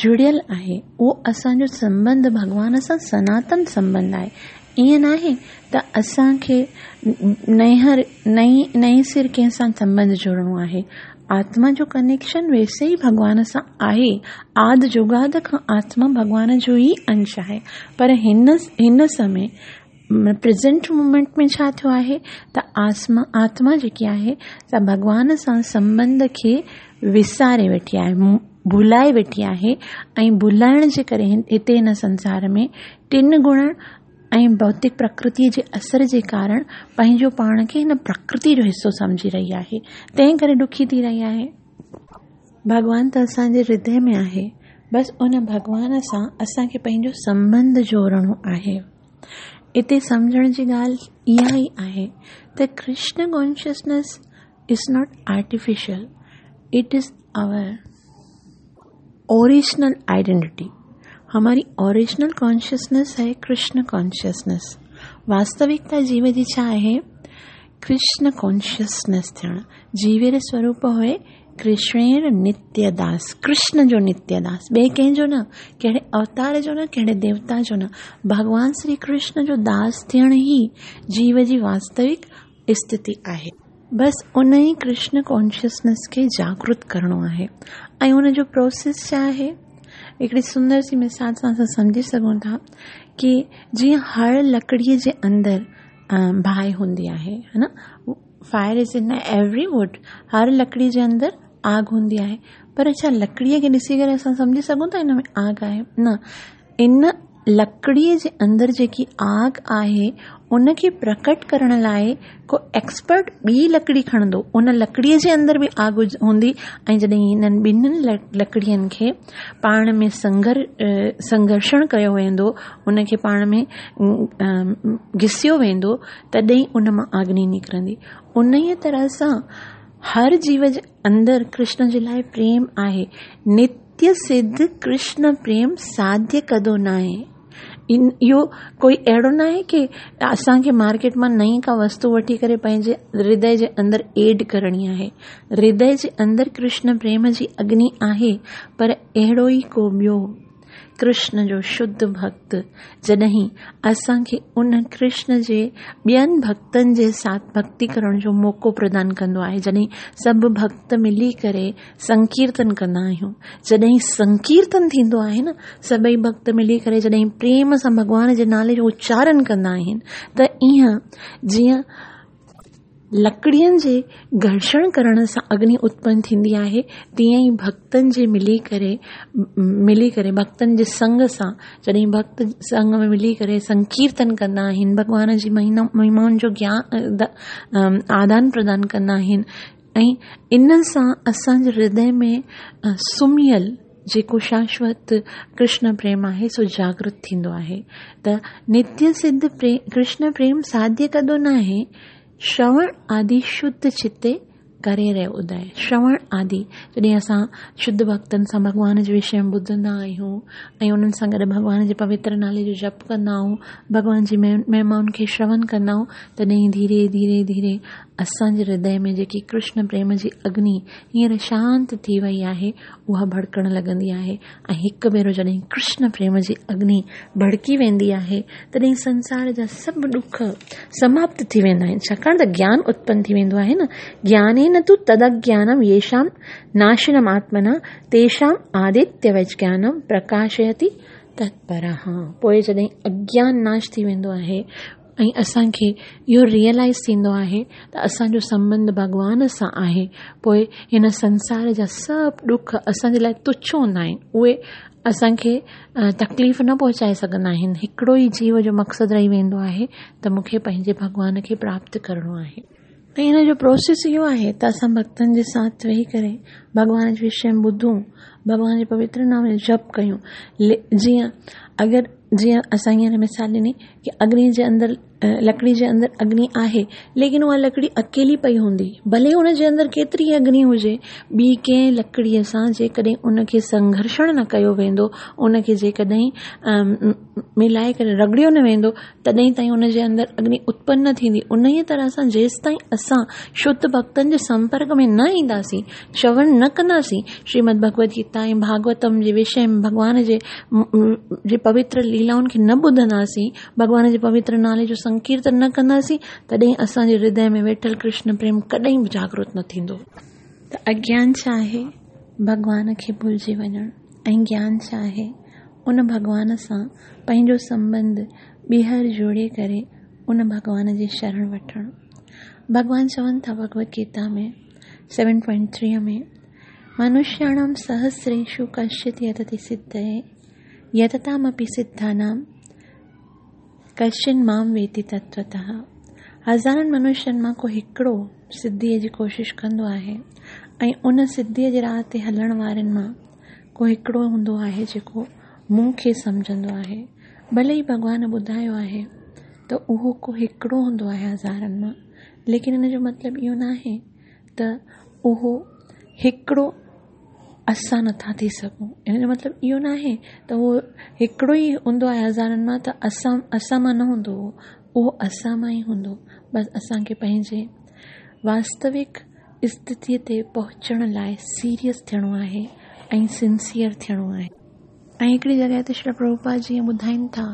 جڙيل آهي اهو اسان جو سنٻنڌ ڀڳوان سان سناتن سنٻنڌ آهي ائين ناهي ته اسان کي نيهر نئين نئين سر ڪنهن سان سنٻنڌ جوڙڻو آهي آتما جو ڪنيڪشن ويسي ئي ڀڳوان سان آهي آد جڳاد کان آتما ڀڳوان جو ئي انش آهي پر هن هن سمي پريزنٽ مومينٽ ۾ ڇا ٿيو آهي ته آسما آتما جيڪي آهي سا ڀڳوان سان سنٻنڌ کي وساري ويٺي آهي ڀلائي ويٺي آهي ۽ ڀلائڻ جي ڪري هتي هن سنسار ۾ ٽن گڻن ۽ ڀوتڪ پرڪرتيء جي اثر جي ڪارڻ پنهنجو پاڻ کي هن پرڪرتي جو حصو سمجهي رهي آهي تنهن ڪري ڏکي ٿي رهي آهي. ڀڳوان ته اسان جي هردي ۾ آهي بس ان ڀڳوان سان اسان کي پنهنجو سنٻنڌ جوڙڻو آهي. اتي سمجهڻ جي ڳالهه اها ئي آهي ته Krishna consciousness is not artificial it is our original identity هماري اوريجنل ڪانشسنيس هي ڪرشن ڪانشسنيس واستوڪتا جيو جي ڇا آهي ڪرشن ڪانشسنيس ٿيڻ جيوير سوروپ هئي ڪرشڻير نتيه داس، ڪرشن جو نتيه داس، ٻئي ڪنهن جو نه، ڪهڙي اوتار جو نه، ڪهڙي ديوتا جو نه، ڀڳوان شري ڪرشن جو داس ٿيڻ ئي جيو جي واستوڪ اسٿتي آهي. بس ان ئي ڪرشن ڪانشسنيس کي جاگرت ڪرڻو آهي ۽ ان جو پروسيس ڇا آهي؟ هڪڙي سندر سي مثال سان اسان سمجهي سگهون ٿا ڪي جيئن هر لڪڙي جي اندر باهه هوندي آهي ها نه fire is in every wood هر لڪڙي جي اندر آگ هوندي آهي پر ڇا لڪڙيء کي ڏسي ڪري اسان سمجهي سگهون ٿا ان ۾ آگ آهي نه ان لڪڙيء جي اندر جيڪي آگ آهي ان کي پرڪٽ ڪرڻ لاء ڪو ايڪسپرٽ ٻي لڪڙي کڻندو ان لڪڙيء جي اندر به آگ هوندي ۽ جڏهن انهن ٻنهين لڪڙين کي پاڻ ۾ سنگر سنگهرشڻ ڪيو ويندو ان کي پاڻ ۾ گهسيو ويندو تڏهن ان مان اگني نڪرندي. انهيء طرح سان هر جيو جي اندر ڪرشن جي لاء پريم آهي. نتيه سڌ ڪرشن پريم ساڌيه ڪدو ناهي. اهو ڪوئي اهڙو ناهي ڪي اسان کي مارڪيٽ مان نئين ڪا وستو وٺي ڪري پنهنجي هردي جي اندر ايڊ ڪرڻي آهي. هردي جي اندر ڪرشن پريم جي اگني آهي پر اهڙو ئي ڪو ٻيو ڪرشن جو شڌ ڀڳت جڏهن اسان کي ان ڪرشن جي ٻين ڀڳتن جي ساٿ ڀڳتي ڪرڻ جو موقعو پردان ڪندو آهي جڏهن سڀ ڀڳت ملي ڪري سنڪيرتن ڪندا آهيون جڏهن سنڪيرتن ٿيندو آهي نه سڀئي ڀڳت ملي ڪري جڏهن پريم سان ڀڳوان جي نالي جو اچارن ڪندا آهن ته ائين جيئن لڪڙين جي گهرشڻ ڪرڻ سان اگني اتپن ٿيندي آهي، تيئن ئي ڀڳتن جي ملي ڪري ملي ڪري ڀڳتن جي سنگ سان جڏهن ڀڳت سنگ ۾ ملي ڪري سنڪيرتن ڪندا آهن، ڀڳوان جي مهمائن جو گيان آدان پردان ڪندا آهن ۽ ان سان اسان جي هردي ۾ سمهيل. جيڪو شاشوت ڪرشن پريم آهي سو جاگرت ٿيندو آهي ته نتيه سڌ ڪرشن پريم ساڌيه ڪندو ناهي شروڻ آدي شڌ چتي ڪري رهيو ادي شروڻ آدي جڏهن اسان شڌ ڀڳتن سان ڀڳوان جي وشي ۾ ٻڌندا آهيون ۽ انهن سان گڏ ڀڳوان جي پوتر نالي جو جپ ڪندا آهيون ڀڳوان جي مهمائن کي شروڻ ڪندا آهيون تڏهن ڌيري ڌيري ڌيري اسان جي هردي ۾ جيڪي ڪرشن پريم جي اگني هينئر شانت ٿي وئي آهي اها ڀڙڪڻ لڳندي آهي ۽ هڪ ڀيرو جڏهن ڪرشن پريم جي اگني ڀڙڪي ويندي آهي تڏهن سنسار جا سڀ ڏک سماپت ٿي ويندا آهن ڇاڪاڻ ته گيان اتپن ٿي ويندو آهي نه گيانين تو تداگيانم ييشام ناشنم آتمنا تيشام آدتيوچ گيانم پرڪاشيتي تتپرها پوء جڏهن اگيان ناش ٿي ويندو آهي ۽ اسان کي اهو ريئلائيز ٿيندو آهي ته اسان جو سنٻنڌ ڀڳوان سان آهي پوء هن سنسار جا سڀ ڏک اسان جي لاء تڇ هوندا آهن اهي اسان کي تڪليف نه پهچائي سگهندا آهن هڪڙو ئي جيو جو مقصد رهي ويندو آهي ته مون کي پنهنجي ڀڳوان کي پراپت ڪرڻو آهي ۽ هن جو پروسيس اهو آهي ته اسان ڀڳتن جي ساٿ ويهي ڪري ڀڳوان جي وشي ۾ ٻڌون ڀڳوان جي پوتر نام جو جپ ڪيون جيئن اگر جيئن اسان هينئر مثال ڏني ڪي اگني جي اندر لڪڙي جي اندر اگني آهي ليڪن اها لڪڙي اڪيلي پئي هوندي ڀلي ان جي اندر ڪيتري اگني هجي ٻي ڪنهن لڪڙيء سان جيڪڏهن ان کي سنگهرشڻ نه ڪيو ويندو ان کي جيڪڏهن ملائي ڪري رڳڙيو نه ويندو تڏهن تائين ان جي اندر اگني اتپن نه ٿيندي. انهيء طرح سان جيستائين اسان شڌ ڀڳتن جي سمپرڪ ۾ نه اينداسين، شروڻ نه ڪنداسين، شريمد ڀڳوت گيتا ۽ ڀاڳوتم جي وشي ۾ ڀڳوان جي جي پوتر ليلائن کي نه ٻڌنداسين، ڀڳوان جي پوتر نالي جو سنڪيرتن نه ڪنداسين، تڏهن اسان جي هردي ۾ ويٺل ڪرشن پريم ڪڏهن به جاڳرت نه ٿيندو. ته اگيان ڇا آهي؟ ڀڳوان کي ڀلجي وڃڻ. ۽ گيان ڇا آهي؟ ان ڀڳوان سان پنهنجو سنٻنڌ ٻيهر جوڙي ڪري ان ڀڳوان جي شرڻ وٺڻ. ڀڳوان چون ٿا Bhagwat Gita ۾ seven point three ۾ منشياڻام سهسريشو ڪشچت يتتي سڌئي يتتامپي سڌانام ڪشچن مام ويتي تتوتها هزارن منشين مان ڪو هڪڙو سڌيء جي ڪوشش ڪندو آهي ۽ ان سڌيء جي راهه تي هلڻ وارن مان ڪو هڪڙو هوندو آهي جيڪو مون کي سمجهندو آهي. ڀلي ئي ڀڳوان ٻڌايو آهي ته اهو ڪو هڪڙو هوندو آهي هزارن مان، ليڪن ان جو مطلب اهو ناهي ته اهو هڪڙو اسان نٿا ٿي سگهون. ان جو مطلب اهو ناهي ته اهو هڪڙو ئي هوندو آهي هزارن مان ته اسان اسان مان نه هوندو اهو، اهو اسان مان ئي هوندو. بس اسان کي پنهنجي واستوڪ استٿيء تي پهچڻ لاء سيريس ٿيڻو آهي ۽ سنسيئر ٿيڻو آهي. ۽ هڪڙي جڳهه تي شريل پرڀوپاد جيئن ٻڌائين ٿا،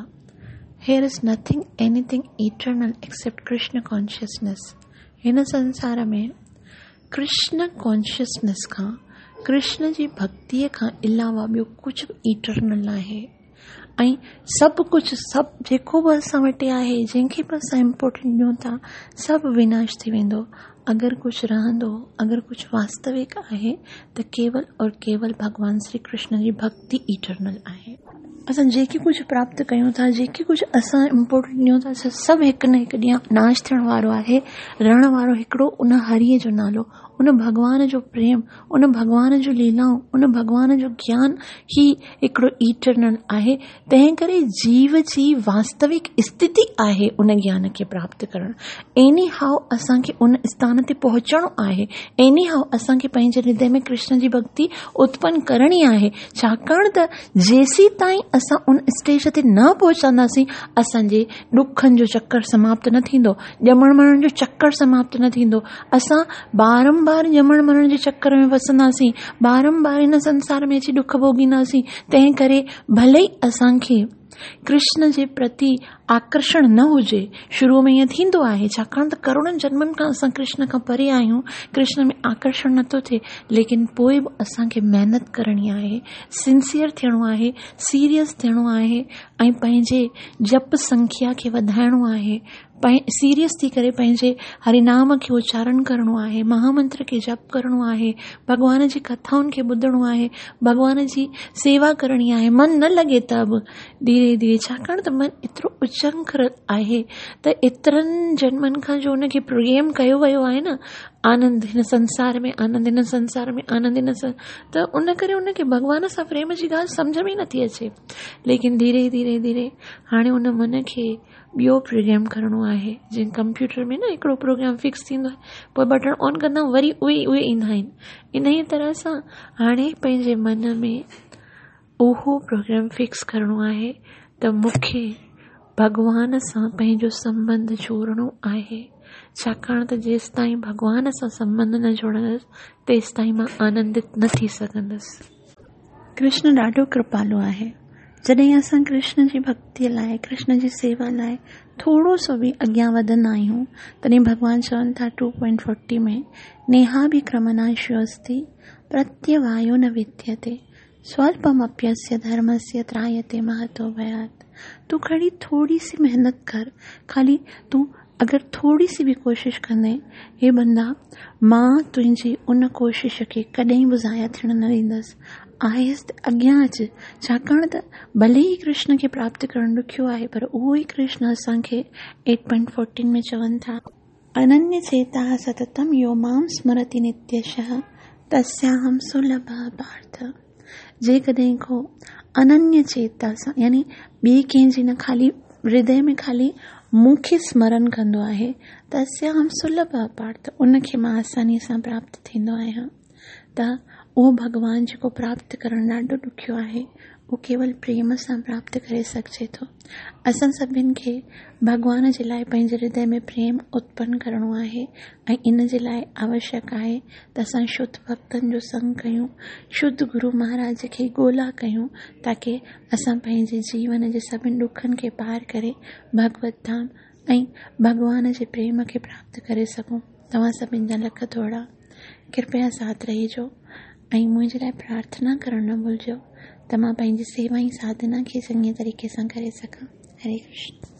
Here is nothing anything eternal except Krishna consciousness هن سنسار ۾ ڪرشن ڪانشسنيس کان، ڪرشن جي ڀڳتيء کان علاوه ٻيو ڪجهه به ايٽرنل ناهي. ۽ سڀ ڪجهه سڀ جيڪو به اسان وٽ آهي جنهن کي به اسان امپورٽنس ڏيون ٿا سڀ وناش ٿي ويندو اگر ڪجهه رهندو اگر ڪجهه واستوڪ آهي ته ڪيول اور ڪيول ڀڳوان شري ڪرشن جي ڀڳتي ايٽرنل آهي. اسان جيڪي ڪجهه پراپت ڪيون ٿا جيڪي ڪجهه اسان امپورٽنس ڏيون ٿا سڀ هڪ نه هڪ ڏينهن ناش ٿيڻ وارو آهي رهڻ وارو هڪڙو ان هريء جو نالو ان ڀڳوان جو پريم ان ڀڳوان جون ليلائون، ان ڀڳوان جو گيان ئي هڪڙو ايٽرنل آهي، تنهن ڪري جيو جي واستوڪ استٿي آهي ان گيان کي پراپت ڪرڻ. ايني هائو اسان کي ان اسٿان تي پهچڻو آهي. ايني هائو اسان کي پنهنجي هردي ۾ ڪرشن جي ڀڳتي اتپن ڪرڻي آهي. ڇاڪاڻ ته جيسيتائين اسان ان اسٽيج تي نه پهچنداسين، اسان جي ڏکن جو چڪر سماپت نه ٿيندو، ڄمڻ مرڻ جو چڪر سماپت نه ٿيندو. اسان بارنبار ڄمڻ مرڻ جي چڪر ۾ ڦسنداسين، بارنبار هن سنسار ۾ اچي ڏک ڀوڳينداسين، تنهن ڪري ڀلي ئي اسان کي ڪرشن جي پرتي آڪرشڻ نه هجي، شروع ۾ ائين ٿيندو آهي، ڇاڪاڻ ته ڪروڙن جنمن کان اسان ڪرشن کان پري آهيون، ڪرشن ۾ آڪرشڻ نٿو ٿئي، ليڪن پوء به اسان کي محنت ڪرڻي آهي، سنسيئر ٿيڻو آهي، سيريس ٿيڻو آهي ۽ پنهنجي جپ سنکيا کي وڌائڻو آهي، سيريس ٿي ڪري پنهنجي هري نام کي اچارڻ ڪرڻو آهي، مها منتر کي جپ ڪرڻو آهي، ڀڳوان جي ڪٿائن کي ٻڌڻو آهي، ڀڳوان جي سيوا ڪرڻي آهي، من نه لڳي ته به ڌيري ڌيري ڇاڪاڻ ته من ايترو اچنکر آهي ته ايترن جنمن کان جو ان کي پروگرام ڪيو ويو آهي نه آنند هن سنسار ۾ آنند هن سنسار ۾ آنند هن سن ته ان ڪري ان کي ڀڳوان سان پريم جي ڳالهه سمجهه ۾ ئي نٿي اچي ليڪن ڌيري ڌيري ڌيري هاڻي ان من کي ٻيو پروگرام ڪرڻو آهي جيئن ڪمپيوٽر ۾ نه هڪڙو پروگرام فڪس ٿيندو آهي پوء بٽڻ آن ڪندا آهيون وري اهي ئي اهي ايندا آهن ان ئي طرح سان هاڻي پنهنجي من ۾ اهو پروگرام فڪس ڪرڻو آهي ته مون کي ڀڳوان سان پنهنجو سنٻنڌ جوڙڻو آهي ڇاڪاڻ ته جيستائين ڀڳوان سان سنٻنڌ نه جوڙندس تيستائين مان آنندت نه ٿي سگهندس. ڪرشن ڏاڍو ڪرپالو آهي. جڏهن اسان ڪرشن جي ڀڳتيء لاء، ڪرشن جي سيوا لاء ٿورو سو به اڳيان وڌندا آهيون، تڏهن ڀڳوان چون ٿا ٽو پوائنٽ فورٽي ۾، نيهاڀڪرمناشيوستي پرتيوايو نه وديتي، سوالپمپيسيه ڌرمسيه ترايتي مهتو ڀيات. تون کڻي ٿوري سي محنت ڪر، خالي تون اگر ٿوري سي به ڪوشش ڪندين، هي بندا، مان تنهنجي ان ڪوشش کي ڪڏهن به ضايع ٿيڻ نه ڏيندس. آهستي اڳيان اچ، ڇاڪاڻ ته ڀلي ئي ڪرشن کي پراپت ڪرڻ ڏکيو آهي، پر اهو ئي ڪرشن اسان کي ايٽ پوائنٽ فورٽين ۾ چون ٿا. اننيه چيتاه ستتم يو مام سمرتي نتيشه تسياهم سلڀه پارٿ جيڪڏهن ڪو اننيه چيتا سان يعني ٻئي ڪنهن جي نه خالي هردي ۾ خالي مون کي سمرن ڪندو آهي تسياهم سلڀه پارٿ ان کي مان آساني سان پراپت ٿيندو آهيان ته اهو ڀڳوان جيڪو پراپت ڪرڻ ڏاڍو ڏکيو آهي اهو ڪيول پريم سان پراپت ڪري سگهجي ٿو. اسان سڀن کي ڀڳوان جي لاء پنهنجي هردي ۾ پريم اتپن ڪرڻو آهي ۽ ان جي لاء آوشيڪ آهي ته اسان شڌ ڀڳتن جو سنگ ڪيون، شڌ گرو مهاراج کي ڳولا ڪيون تاڪه اسان پنهنجي جيون جي سڀن ڏکن کي پار ڪري ڀڳوت ڌام ۽ ڀڳوان جي پريم کي پراپت ڪري سگهون. توهان سڀن جا لک ٿورا. ڪرپيا ساٿ رهجو ۽ منهنجي لاء پرارٿنا ڪرڻ نه ڀلجو ته مان پنهنجي سيوا ۽ ساڌنا کي چڱي طريقي سان ڪري سگهان. هري ڪرشن.